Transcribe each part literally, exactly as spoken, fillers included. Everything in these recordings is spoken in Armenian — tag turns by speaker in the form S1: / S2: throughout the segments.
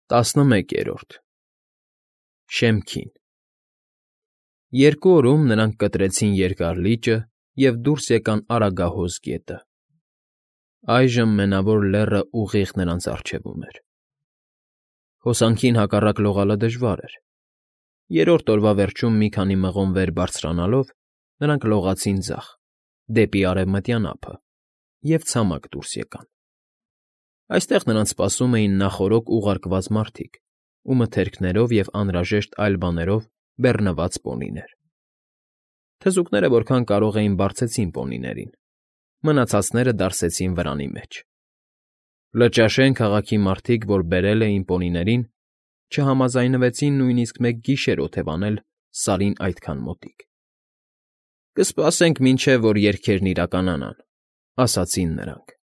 S1: ՏԱՍՆՄԵԿԵՐՈՐԴ ՇԵՄՔԻՆ Երկու օրում նրանք կտրեցին Երկար լիճը և դուրս եկան Արագահոս գետը. այժմ Մենավոր Լեռը ուղիղ նրանց առջևում էր։ Հոսանքին հակառակ լողալը դժվար էր։ Երրորդ օրվա վերջում մի քանի մղոն վեր բարձրանալով՝ նրանք լողացին ձախ, դեպի արևմտյան ափը և ցամաք դուրս եկան։ Այստեղ նրանց սպասում էին նախօրոք ուղարկված մարդիկ ու մթերքներով և անհրաժեշտ այլ բաներով բեռնված պոնիներ։ Թզուկները որքան կարող էին բարձեցին պոնիներին, մնացածները դարսեցին վրանի մեջ։ Լճաշեն քաղաքի մարդիկ, որ բերել էին պոնիներին, չհամաձայնվեցին նույնիսկ մեկ գիշեր օթևանել Սարին այդքան մոտիկ։ «Կսպասենք, մինչև որ երգերն իրականանան», ֊ ասացին նրանք։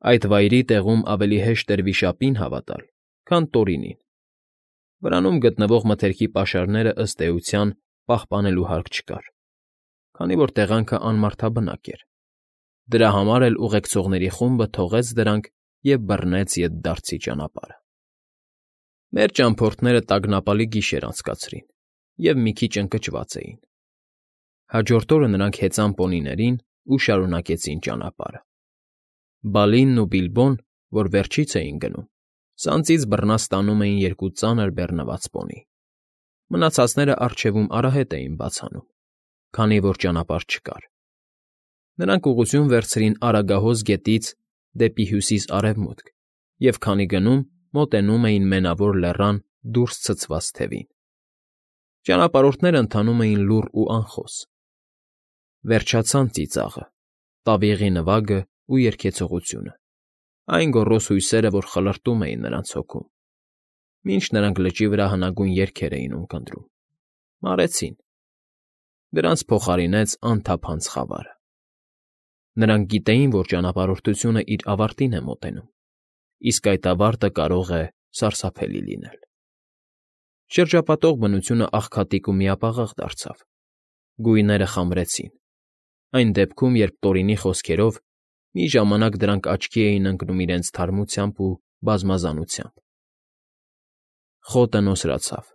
S1: Այդ վայրի տեղում ավելի հեշտ էր վիշապին հավատալ, քան Տորինին։ Վրանում գտնվող մթերքի պաշարներն, ըստ էության, պահպանելու հարկ չկար, քանի որ տեղանքն անմարդաբնակ էր։ Դրա համար էլ ուղեկցողների խումբը թողեց դրանք և բռնեց ետդարձի ճանապարհը։ Մեր ճամփորդները տագնապալի գիշեր անցկացրին և մի քիչ ընկճված էին։ Հաջորդ օրը նրանք հեծան պոնիներին ու շարունակեցին ճանապարհը։ Բալինն ու Բիլբոն, որ վերջից էին գնում, սանձին բռնած տանում էին երկու ծանր բեռնված պոնի։ Մնացածները առջևում արահետ էին բաց անում, քանի որ ճանապարհ չկար։ Նրանք ուղղություն վերցրին Արագահոս գետից դեպի հյուսիս֊արևմուտք և քանի գնում, մոտենում էին Մենավոր Լեռան դուրս ցցված թևին։ Ճանապարհորդներն ընթանում էին լուռ ու անխոս։ Վերջացան ծիծաղը, տավիղի նվագն ու երգեցողությունը, այն գոռոզ հույսերը, որ խլրտում էին նրանց հոգում, մինչ նրանք լճի վրա հնագույն երգեր էին ունկնդրում, մարեցին։ Դրանց փոխարինեց անթափանց խավարը։ Նրանք գիտեին, որ ճանապարհորդությունն իր ավարտին է մոտենում, իսկ այդ ավարտը կարող է սարսափելի լինել։ Շրջապատող բնությունն աղքատիկ ու միապաղաղ դարձավ։ Գույները խամրեցին։ Այն դեպքում, երբ Տորինի խոսքերով, մի ժամանակ դրանք աչքի էին ընկնում իրենց թարմությամբ ու բազմազանությամբ։ Խոտը նոսրացավ,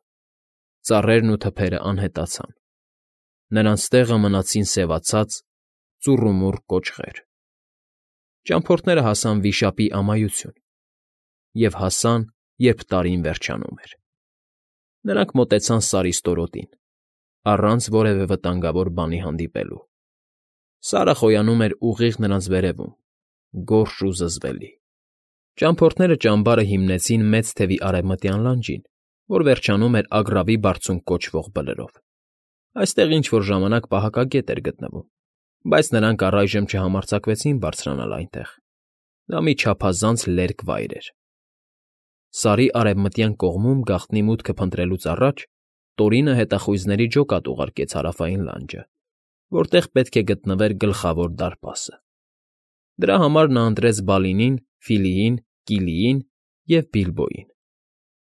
S1: ծառերն ու թփերը անհետացան։ Նրանց տեղը մնացին սևացած, ծուռումուռ կոճղեր։ Ճամփորդները հասան Վիշապի Ամայություն և հասան, երբ տարին վերջանում էր։ Նրանք մոտեցան Սարի ստորոտին, առանց որևէ վտանգավոր բանի հանդիպելու։ Սարը խոյանում էր ուղիղ նրանց վերևում, գորշ ու զզվելի։ Ճամփորդները ճամբարը հիմնեցին մեծ թևի արևմտյան լանջին, որ վերջանում էր Ագռավի Բարձունք կոչվող բլրով։ Այստեղ ինչ֊որ ժամանակ պահակագետ էր գտնվում, բայց նրանք առայժմ չհամարձակվեցին բարձրանալ այնտեղ։ Դա մի չափազանց լերկ վայր էր։ Սարի արևմտյան կողմում գաղտնի մուտքը փնտրելուց առաջ Տորինը հետախույզների ջոկատ ուղարկեց հարավային լանջը, որտեղ պետք է գտնվեր Գլխավոր դարպասը։ Դրա համար նա ընտրեց Բալինին, Ֆիլիին, Կիլիին և Բիլբոյին։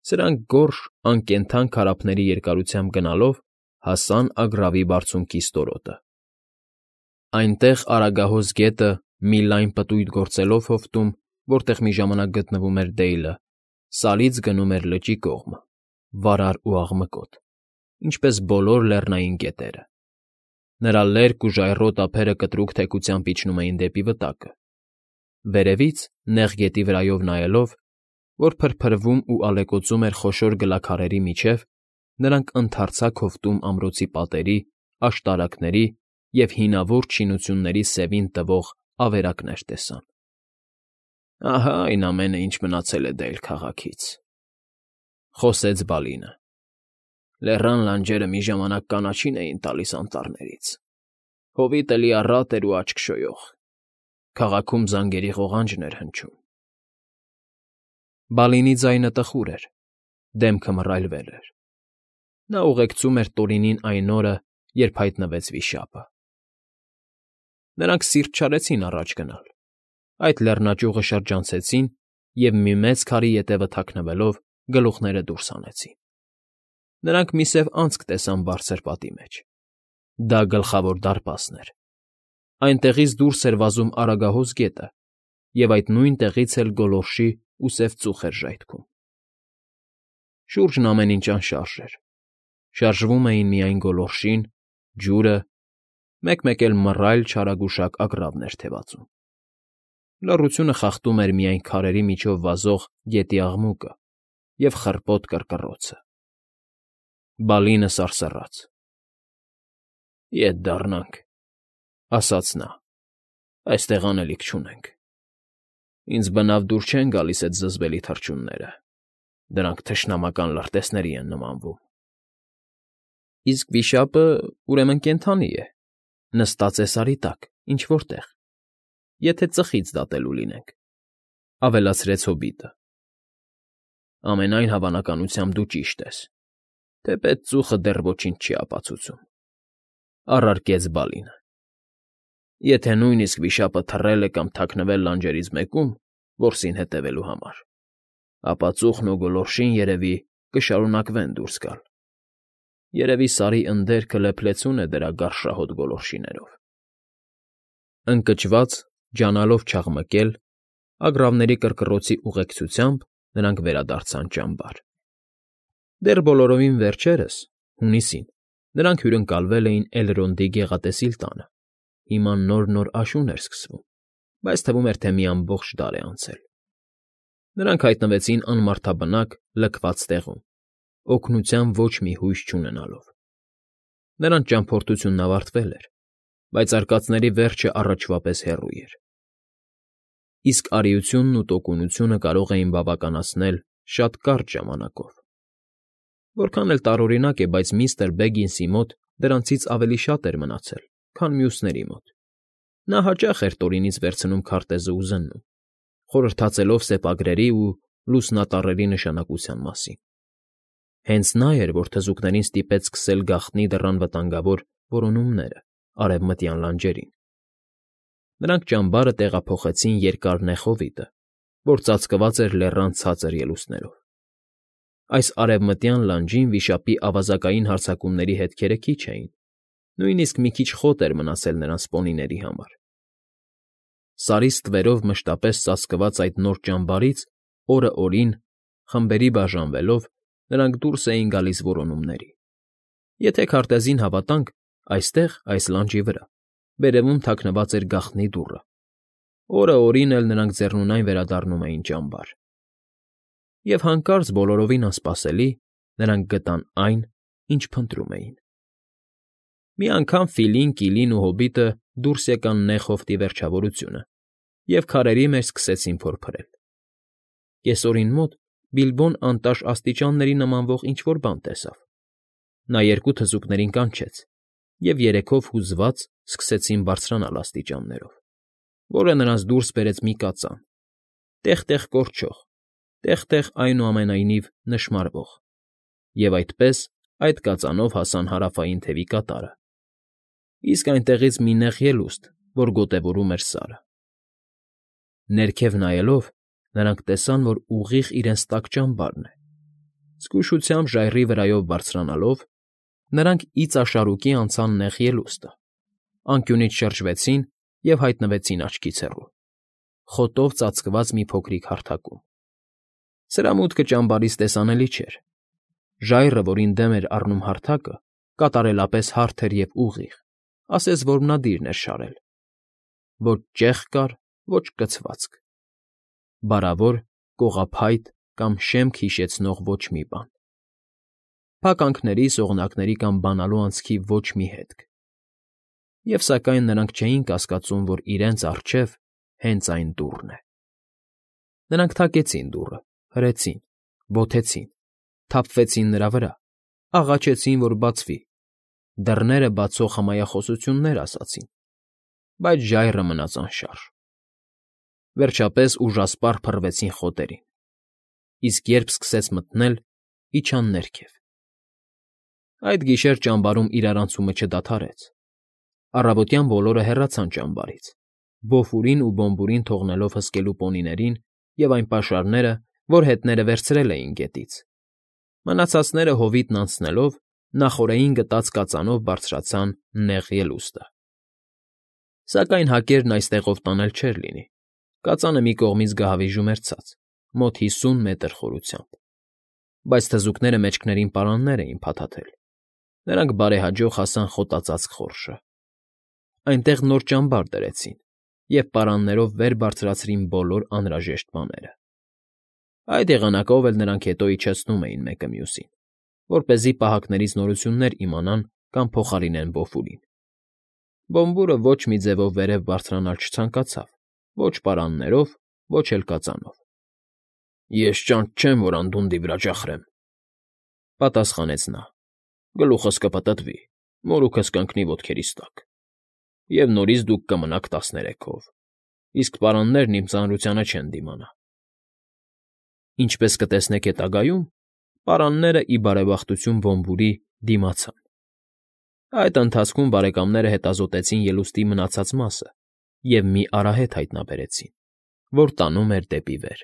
S1: Սրանք գորշ, անկենդան քարափների երկարությամբ գնալով հասան Ագռավի Բարձունքի ստորոտը։ Այնտեղ Արագահոս գետը, մի լայն պտույտ գործելով հովտում, որտեղ մի ժամանակ գտնվում էր Դեյլը, Սարից գնում էր լճի կողմը, վարար ու աղմկոտ, ինչպես բոլոր լեռնային գետերը։ Նրա լերկ ու ժայռոտ ափերը կտրուկ թեքությամբ իջնում էին դեպի վտակը։ Վերևից, նեղ գետի վրայով նայելով, որ փրփրվում ու ալեկոծում էր խոշոր գլաքարերի միջև, նրանք ընդարձակ հովտում ամրոցի պատերի, աշտարակների և հինավուրց շինությունների սևին տվող ավերակներ տեսան։ «Ահա այն ամենը, ինչ մնացել է Դեյլ քաղաքից,֊ խոսեց Բալինը։ Լեռան լանջերը մի ժամանակ կանաչին էին տալիս անտառներից։ Հովիտը լիառատ էր ու աչք շոյող։ Քաղաքում զանգերի ղողանջն էր հնչում»։ Բալինի ձայնը տխուր էր, դեմքը մռայլվել էր։ Նա ուղեկցում էր Տորինին այն օրը, երբ հայտնվեց վիշապը։ Նրանք սիրտ չարեցին առաջ գնալ։ Այդ լեռնաճյուղը շրջանցեցին և, մի մեծ քարի ետևը թաքնվելով, գլուխները դուրս հանեցին։ Նրանք մի սև անցք տեսան բարձր պատի մեջ։ Դա Գլխավոր դարպասն էր։ Այնտեղից դուրս էր վազում Արագահոս գետը, և այդ նույն տեղից էլ գոլորշի ու սև ծուխ էր ժայթքում։ Շուրջն ամեն ինչ անշարժ էր. շարժվում էին միայն գոլորշին, ջուրը, մեկ֊մեկ էլ մռայլ չարագուշակ ագռավն էր թևածում։ Լռությունը խախտում էր միայն քարերի միջով վազող գետի աղմուկը և խռպոտ կռկռոցը։ Բալինը սարսռաց. «Ետ դառնանք,֊ ասաց նա,֊ այստեղ անելիք չունենք։ Ինձ բնավ դուր չեն գալիս էդ զզվելի թռչունները, դրանք թշնամական լրտեսների են նմանվում»։ ֊ Իսկ վիշապը, ուրեմն, կենդանի է, նստած է սարի տակ, ինչ֊որ տեղ, եթե ծխից դատելու լինենք,֊ ավելացրեց հոբիտը։ ֊ Ամենայն հավանականությամբ դու ճիշտ ես, թեպետ ծուխը դեռ ոչինչ չի ապացուցում,֊ առարկեց Բալինը։ Եթե նույնիսկ վիշապը թռել է կամ թաքնվել լանջերից մեկում, որսին հետևելու համար, ապա ծուխն ու գոլորշին, երևի, կշարունակվեն դուրս գալ։ Երևի Սարի ընդերքը լեփլեցուն է դրա գարշահոտ գոլորշիներով։ Ընկճված, ջանալով չաղմկել, ագռավների կռկռոցի ուղեկցությամբ նրանք վերադարձան ճամբար։ Դեռ բոլորովին վերջերս, հունիսին, նրանք հյուրընկալվել էին Էլրոնդի գեղատեսիլ տանը, հիմա նոր֊նոր աշուն էր սկսվում, բայց թվում էր, թե մի ամբողջ դար է անցել։ Նրանք հայտնվեցին անմարդաբնակ, լքված տեղում, օգնության ոչ մի հույս չունենալով։ Նրանց ճամփորդությունն ավարտվել էր, բայց արկածների վերջը առաջվա պես հեռու էր։ Իսկ արիությունն ու տոկունությունը կարող էին բավականացնել շատ կարճ ժամանակով։ Որքան էլ տարօրինակ է, բայց միստր Բեգինսի մոտ դրանցից ավելի շատ էր մնացել, քան մյուսների մոտ։ Նա հաճախ էր Տորինից վերցնում քարտեզը ու զննում, խորհրդածելով սեպագրերի ու լուսնատառերի նշանակության մասին։ Հենց նա էր, որ թզուկներին ստիպեց սկսել գաղտնի դռան վտանգավոր որոնումները արևմտյան լանջերին։ Նրանք ճամբարը տեղափոխեցին երկար նեղ հովիտը, որ ծածկված էր լեռան ցածր ելուստներով։ Այս արևմտյան լանջին վիշապի ավազակային հարձակումների հետքերը քիչ էին, նույնիսկ մի քիչ խոտ էր մնացել նրանց պոնիների համար։ Սարի ստվերով մշտապես ծածկված այդ նոր ճամբարից օրը օրին, խմբերի բաժանվելով, նրանք դուրս էին գալիս որոնումների։ Եթե քարտեզին հավատանք, այստեղ, այս լանջի վրա, վերևում թաքնված էր գաղտնի դուռը։ Օրը օրին էլ նրանք ձեռնունայն վերադառնում էին ճամբար։ Եվ հանկարծ, բոլորովին անսպասելի, նրանք գտան այն, ինչ փնտրում էին։ Մի անգամ Ֆիլին, Կիլին ու հոբիտը դուրս եկան նեղ հովտի վերջավորությունը և քարերի մեջ սկսեցին փորփրել։ Կեսօրին մոտ Բիլբոն անտաշ աստիճանների նմանվող ինչ֊որ բան տեսավ։ Նա երկու թզուկներին կանչեց, և երեքով հուզված սկսեցին բարձրանալ աստիճաններով, որը նրանց դուրս բերեց մի կածան, տեղ֊տեղ կորչող, տեղ֊տեղ, այնուամենայնիվ, նշմարվող, և այդպես այդ կածանով հասան հարավային թևի կատարը, իսկ այնտեղից մի նեղ ելուստ, որ գոտևորում էր Սարը։ Ներքև նայելով՝ նրանք տեսան, որ ուղիղ իրենց տակ ճամբարն է։ Զգուշությամբ ժայռի վրայով բարձրանալով՝ նրանք իծաշարուկի անցան նեղ ելուստը, անկյունից շրջվեցին և հայտնվեցին աչքից հեռու, խոտով ծածկված մի փոքրիկ հարթակում։ Սրա մուտքը ճամբարից տեսանելի չէր։ Ժայռը, որին դեմ էր առնում հարթակը, կատարելապես հարթ էր և ուղիղ, ասես որմնադիրն էր շարել։ Ոչ ճեղք կար, ոչ կցվածք։ Բարավոր, կողափայտ կամ շեմք հիշեցնող ոչ մի բան։ Փականքների, սողնակների կամ բանալու անցքի ոչ մի հետք։ Եվ սակայն նրանք չէին կասկածում, որ իրենց առջև հենց այն դուռն է։ Նրանք թակեցին դուռը, հրեցին, բոթեցին, թափվեցին նրա վրա, աղաչեցին, որ բացվի, դռները բացող հմայախոսություններ ասացին, բայց ժայռը մնաց անշարժ։ Վերջապես ուժասպառ փռվեցին խոտերին, իսկ երբ սկսեց մթնել, իջան ներքև։ Այդ գիշեր ճամբարում իրարանցումը չդադարեց։ Առավոտյան բոլորը հեռացան ճամբարից, Բոֆուրին ու Բոմբուրին թողնելով հսկելու պոնիներին և այն պաշարները, որ հետները վերցրել էին գետից։ Մնացածները հովիտն անցնելով նախօրեին գտած կածանով բարձրացան նեղ ելուստը։ Սակայն հակերն այստեղով տանել չէր լինի։ Կածանը մի կողմից գահավիժում էր ցած, մոտ հիսուն մետր խորությամբ։ բայց թզուկները մեջքներին պարաններ էին փաթաթել։ Նրանք բարեհաջող հասան խոտածածկ խորշը։ Այնտեղ նոր ճամբար դրեցին և պարաններով վեր բարձրացրին բոլոր անհրաժեշտ բաները։ Այդ եղանակով էլ նրանք հետո իջեցնում էին մեկը մյուսին, որպեսզի պահակներից նորություններ իմանան կամ փոխարինեն Բոֆուրին։ Բոմբուրը ոչ մի ձևով վերև բարձրանալ չցանկացավ, ոչ պարաններով, ոչ էլ կածանով։ ֊ Ես ճանճ չեմ, որ անդունդի վրա ճախրեմ,֊ պատասխանեց նա։ Գլուխս կպտտվի, մորուքս կընկնի ոտքերիս տակ, և նորից դուք կմնաք տասներեքով, իսկ պարաններն իմ ծանրությանը չեն դիմանա։ Ինչպես կտեսնեք հետագայում, պարանները, ի բարեբախտություն Բոմբուրի, դիմացան։ Այդ ընթացքում բարեկամները հետազոտեցին ելուստի մնացած մասը և մի արահետ հայտնաբերեցին, որ տանում էր դեպի վեր,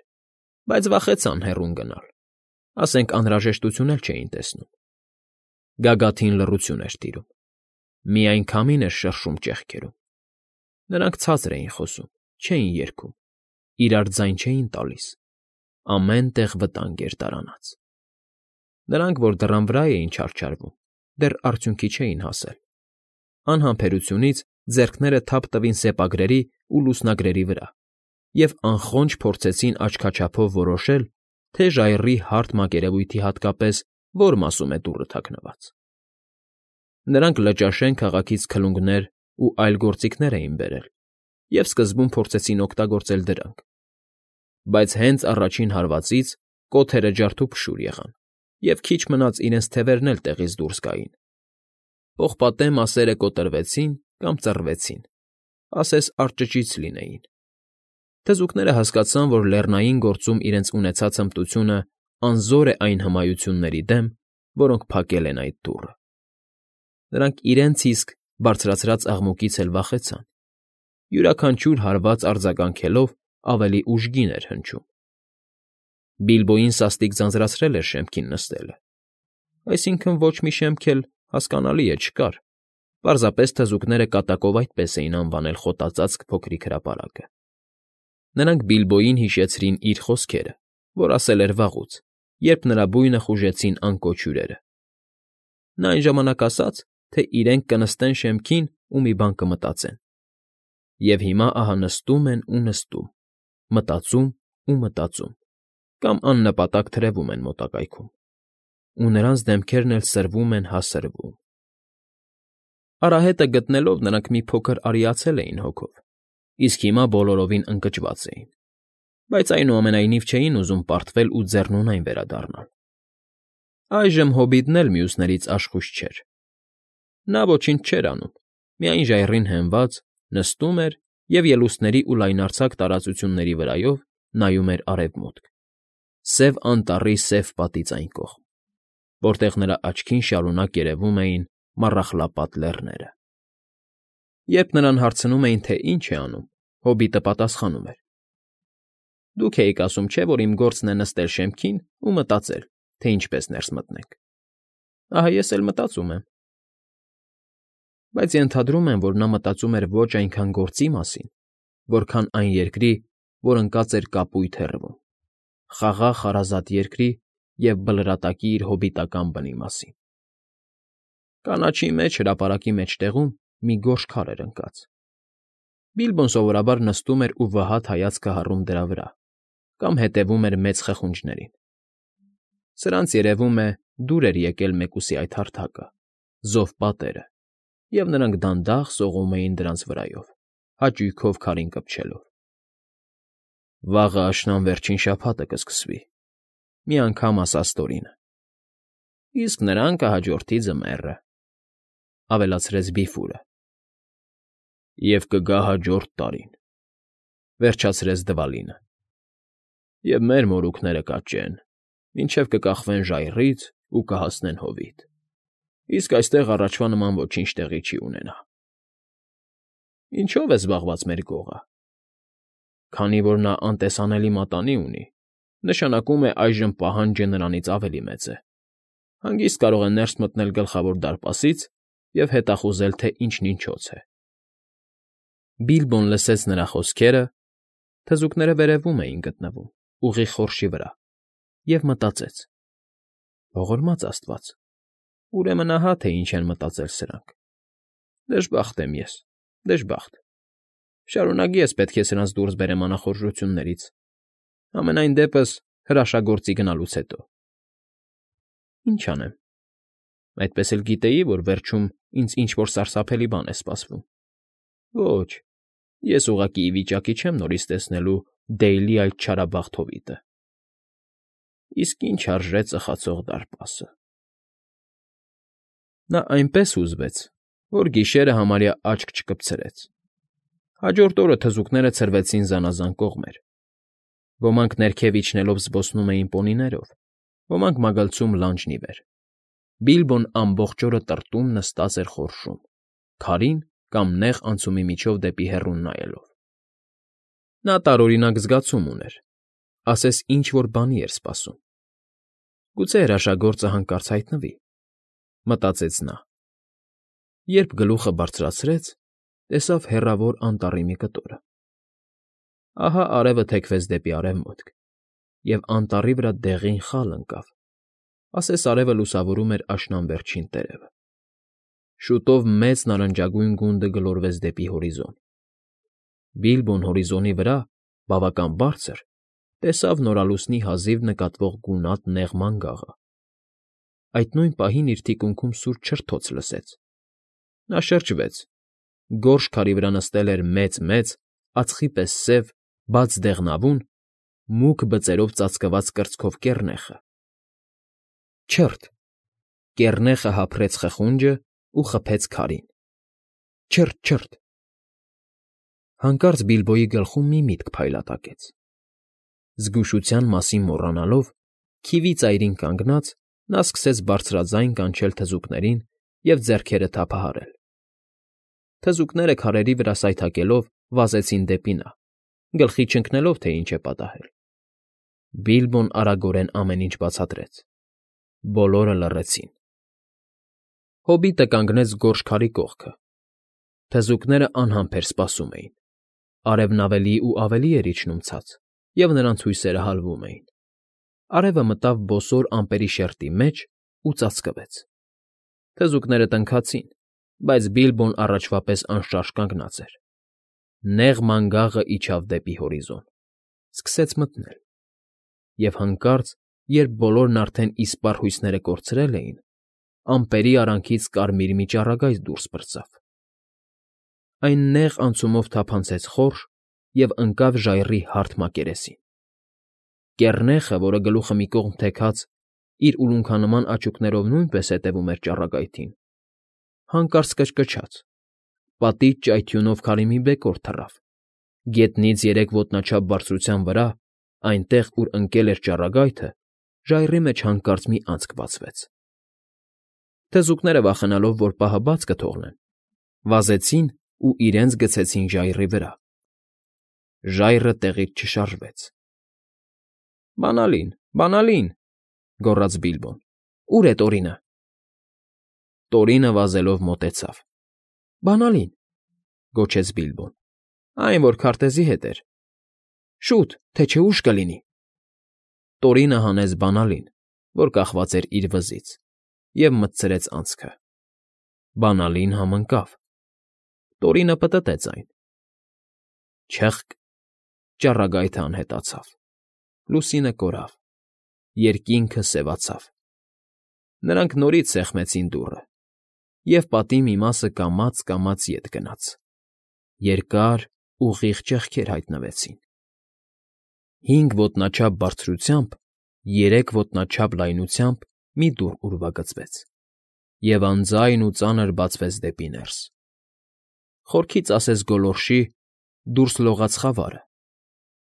S1: բայց վախեցան հեռուն գնալ, ասենք անհրաժեշտություն էլ չէին տեսնում։ Գագաթին լռություն էր տիրում, միայն քամին էր շրշում ճեղքերում։ Նրանք ցածր էին խոսում, չէին երգում, իրար ձայն չէին տալիս, ամեն տեղ վտանգ էր դարանած։ Նրանք, որ դռան վրա էին չարչարվում, դեռ արդյունքի չէին հասել։ Անհամբերությունից ձեռքները թափ տվին սեպագրերի ու լուսնագրերի վրա և անխոնջ փորձեցին աչքաչափով որոշել, թե ժայռի հարթ մակերևույթի հատկապես որ մասում է դուռը թաքնված։ Նրանք Լճաշեն քաղաքից քլունգներ ու այլ գործիքներ էին բերել և սկզբում փորձեցին օգտագործել դրանք, բայց հենց առաջին հարվածից կոթերը ջարդուփշուր եղան, և քիչ մնաց իրենց թևերն էլ տեղից դուրս գային։ Պողպատե մասերը կոտրվեցին կամ ծռվեցին, ասես արճճից լինեին։ Թզուկները հասկացան, որ լեռնային գործում իրենց ունեցած հմտությունը անզոր է այն հմայությունների դեմ, որոնք փակել են այդ դուռը։ Նրանք իրենց իսկ բարձրացրած աղմուկից էլ վախեցան, յուրաքանչյուր հարված արձագանքելով ավելի ուժգին էր հնչում։ Բիլբոյին սաստիկ ձանձրացրել էր շեմքին նստելը, այսինքն ոչ մի շեմք էլ, հասկանալի է, չկար, պարզապես թզուկները կատակով այդպես էին անվանել խոտածածկ փոքրիկ հրապարակը։ Նրանք Բիլբոյին հիշեցրին իր խոսքերը, որ ասել էր վաղուց, երբ նրա բույնը խուժեցին անկոչ հյուրերը։ Նա այն ժամանակ ասաց, թե իրենք կնստեն շեմքին ու մի բան կմտածեն։ Եվ հիմա ահա նստում են ու նստում, մտածում ու մտածում, կամ աննպատակ թրևվում են մոտակայքում, ու նրանց դեմքերն էլ սրվում են հա սրվում։ Արահետը գտնելով՝ նրանք մի փոքր արիացել էին հոգով, իսկ հիմա բոլորովին ընկճված էին, բայց այնուամենայնիվ չէին ուզում պարտվել ու ձեռնունայն վերադառնալ։ Այժմ հոբիտն էլ մյուսներից աշխույժ չէր։ Նա ոչինչ չէր անում, միայն ժայռին հենված, նստում էր և ելուստների ու լայնարձակ տարածությունների վրայով նայում էր արևմուտք, Սև Անտառի սև պատից այն կողմ, որտեղ նրա աչքին շարունակ երևում էին Մառախլապատ Լեռները։ Երբ նրան հարցնում էին, թե ինչ է անում, հոբիտը պատասխանում էր. Դուք էիք ասում, չէ՞, որ իմ գործն է նստել շեմքին ու մտածել, թե ինչպես ներս մտնենք։ Ահա ես էլ մտածում եմ։ Բայց ենթադրում եմ, որ նա մտածում էր ոչ այնքան գործի մասին, որքան այն երկրի, որ ընկած էր կապույտ հեռվում, խաղաղ հարազատ երկրի և Բլրատակի իր հոբիտական բնի մասին։ Կանաչի մեջ, հրապարակի մեջտեղում մի գորշ քար էր ընկած։ Բիլբոն սովորաբար նստում էր ու վհատ հայացքը հառում դրա վրա կամ հետևում էր մեծ խխունջներին։ Սրանց, երևում է, դուր էր եկել մեկուսի այդ հարթակը, զով պատերը, և նրանք դանդաղ սողում էին դրանց վրայով, հաճույքով քարին կպչելով։ Վաղը աշնան վերջին շաբաթը կսկսվի,֊ մի անգամ ասաց Տորինը։ Իսկ նրան կհաջորդի ձմեռը,֊ ավելացրեց Բիֆուրը։ Եվ կգա հաջորդ տարին,֊ վերջացրեց Դվալինը։ Եվ մեր մորուքները կաճեն, մինչև կկախվեն ժայռից ու կհասնեն հովիտ, իսկ այստեղ առաջվա նման ոչինչ տեղի չի ունենա։ Ինչո՞վ է զբաղված մեր գողը։ Քանի որ նա անտեսանելի մատանի ունի, նշանակում է այժմ պահանջը նրանից ավելի մեծ է։ Հանգիստ կարող է ներս մտնել Գլխավոր դարպասից և հետախուզել, թե ինչն ինչոց է։ Բիլբոն լսեց նրա խոսքերը, թզուկները վերևում էին գտնվում, ուղիղ խորշի վրա, և մտածեց. Ողորմած աստված, ուրեմն ահա թե ինչ են մտածել սրանք… Դժբախտ եմ ես, դժբախտ… Շարունակ ես պետք է սրանց դուրս բերեմ անախորժություններից, համենայն դեպս հրաշագործի գնալուց հետո… Ինչ անեմ… Այդպես էլ գիտեի, որ վերջում ինձ ինչ֊որ սարսափելի բան է սպասվում… Ոչ, ես ուղղակի ի վիճակի չեմ նորից տեսնելու Դեյլի այդ չարաբասխտ հովիտը… Իսկ ինչ արժե ծխացող դարպասը… Նա այնպես հուզվեց, որ գիշերը համարյա աչք չկպցրեց… Հաջորդ օրը թզուկները ցրվեցին զանազան կողմեր. ոմանք ներքև իջնելով զբոսնում էին պոնիներով, ոմանք մագլցում լանջն ի վեր… Բիլբոն ամբողջ օրը տրտում նստած էր խորշում, քարին կամ նեղ անցումի միջով դեպի հեռուն նայելով… Նա տարօրինակ զգացում ուներ, ասես ինչ֊որ բանի էր սպասում… Գուցե հրաշագործը հանկարծ հայտնվի, մտածեց նա… Երբ գլուխը բարձրացրեց, տեսավ հեռավոր անտառի մի կտորը… Ահա արևը թեքվեց դեպի արևմուտք, և անտառի վրա դեղին խալ ընկավ, ասես արևը լուսավորում էր աշնան վերջին տերևը… Շուտով մեծ նարնջագույն գունդը գլորվեց դեպի հորիզոն… Բիլբոն հորիզոնի վրա, բավական բարձր, տեսավ նորալուսնի հազիվ նկատվող գունատ նեղ մանգաղը… Այդ նույն պահին իր թիկունքում սուր չրթոց լսեց… Նա շրջվեց… Գորշ քարի վրա նստել էր մեծ֊մեծ, ածխի պես սև, բաց դեղնավուն, մուգ բծերով ծածկված կրծքով կեռնեխը… Չը՛ըթ… Կեռնեխը հափռեց խխունջն ու խփեց քարին… Չը՛ըթ, չը՛ըթ… Հանկարծ Բիլբոյի գլխում մի միտք փայլատակեց… Զգուշության մասին մոռանալով, քիվի ծայրին կանգնած, նա սկսեց բարձրաձայն կանչել թզուկներին և ձեռքերը թափահարել… Թզուկները, քարերի վրա սայթաքելով, վազեցին դեպի նա, գլխի չընկնելով, թե ինչ է պատահել… Բիլբոն արագորեն ամեն ինչ բացատրեց… Բոլորը լռեցին… Հոբիտը կանգնեց գորշ քարի կողքը… Թզուկներն անհամբեր սպասում էին… Արևն ավելի ու ավելի էր իջնում ցած, և նրանց հույսերը հալվում էին… Արևը մտավ բոսոր ամպերի շերտի մեջ ու ծածկվեց… Թզուկները տնքացին, բայց Բիլբոն առաջվա պես անշարժ կանգնած էր… Նեղ մանգաղն իջավ դեպի հորիզոն, սկսեց մթնել… Եվ հանկարծ, երբ բոլորն արդեն իսպառ հույսները կորցրել էին, ամպերի արանքից կարմիր մի ճառագայթ դուրս պրծավ… Այն նեղ անցումով թափանցեց խորշ և ընկավ ժայռի հարթ մակերեսին… Կեռնեխը, որը գլուխը մի կողմ թեքած, իր ուլունքանման աչուկներով նույնպես հետևում էր ճառագայթին, հանկարծ կչկչաց… Պատից ճայթյունով քարի մի բեկոր թռավ… Գետնից երեք ոտնաչափ բարձրության վրա, այնտեղ, ուր ընկել էր ճառագայթը, ժայռի մեջ հանկարծ մի անցք բացվեց… Թզուկները, վախենալով, որ պահը բաց կթողնեն, վազեցին ու իրենց գցեցին ժայռի վրա… Ժայռը տեղից չշարժվեց… ֊ Բանալին, բանալին,֊ գոռաց Բիլբոն։֊ Ո՞ւր է Տորինը… Տորինը վազելով մոտեցավ… ֊ Բանալին,֊ գոչեց Բիլբոն։֊ Այն, որ քարտեզի հետ էր… Շուտ, թե չէ ուշ կլինի… Տորինը հանեց բանալին, որ կախված էր իր վզից, և մտցրեց անցքը… Բանալին համընկավ… Տորինը պտտեց այն… Չըխկ… Ճառագայթն անհետացավ… Լուսինը կորավ… Երկինքը սևացավ… Նրանք նորից սեղմեցին դուռը, և պատի մի մասը կամաց֊կամաց ետ գնաց… Երկար, ուղիղ ճեղքեր հայտնվեցին… Հինգ ոտնաչափ բարձրությամբ, երեք ոտնաչափ լայնությամբ մի դուռ ուրվագծվեց և անձայն ու ծանր բացվեց դեպի ներս… Խորքից ասես գոլորշի, դուրս լողաց խավարը…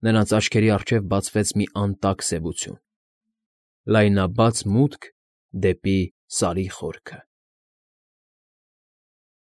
S1: Նրանց աչքերի առջև բացվեց մի անտակ սևություն… Լայնաբաց մուտք դեպի Սարի խորքը…